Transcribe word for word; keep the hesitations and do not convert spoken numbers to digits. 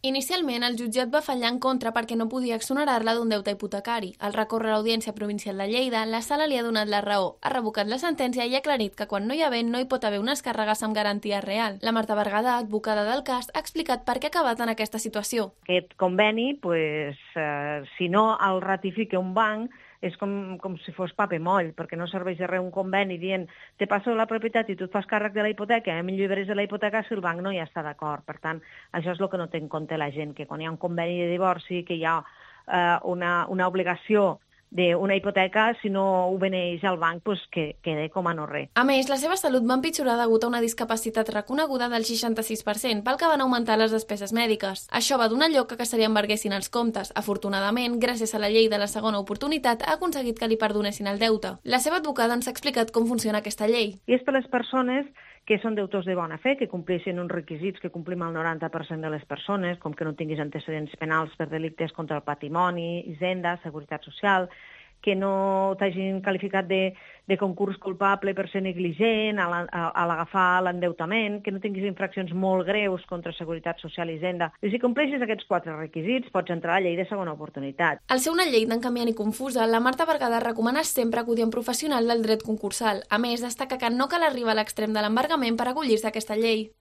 Inicialment, el jutjat va fallar en contra perquè no podia exonerar-la d'un deute hipotecari. Al recórrer a l'Audiència Provincial de Lleida, la sala li ha donat la raó, ha revocat la sentència i ha aclarit que quan no hi ha vent no hi pot haver unes càrregues amb garantia real. La Marta Berguedà, advocada del cas, ha explicat per què ha acabat en aquesta situació. Aquest conveni, pues, eh, si no el ratifica un banc, és com, com si fos paper moll, perquè no serveix de res un conveni dient te passo la propietat i tu et fas càrrec de la hipoteca, em lliberes de la hipoteca si el banc no hi està d'acord. Per tant, això és el que no té en compte la gent, que quan hi ha un conveni de divorci, que hi ha eh, una, una obligació d'una hipoteca, si no ho beneix al banc, pues que quede com a no res. A més, la seva salut va empitjorar degut a una discapacitat reconeguda del seixanta-sis per cent, pel que van augmentar les despeses mèdiques. Això va donar lloc a que se li embarguessin els comptes. Afortunadament, gràcies a la llei de la segona oportunitat, ha aconseguit que li perdonessin el deute. La seva advocada ens ha explicat com funciona aquesta llei. I és per les persones que són deutors de bona fe, que compleixen uns requisits que complim el noranta per cent de les persones, com que no tinguis antecedents penals per delictes contra el patrimoni, hisenda, seguretat social, que no t'hagin qualificat de, de concurs culpable per ser negligent a l'agafar l'endeutament, que no tinguis infraccions molt greus contra seguretat social i hisenda. I si compleixes aquests quatre requisits, pots entrar a la llei de segona oportunitat. Al ser una llei tan canviant i confusa, la Marta Berguedà recomana sempre acudir a un professional del dret concursal. A més, destaca que no cal arribar a l'extrem de l'embargament per acollir-se a aquesta llei.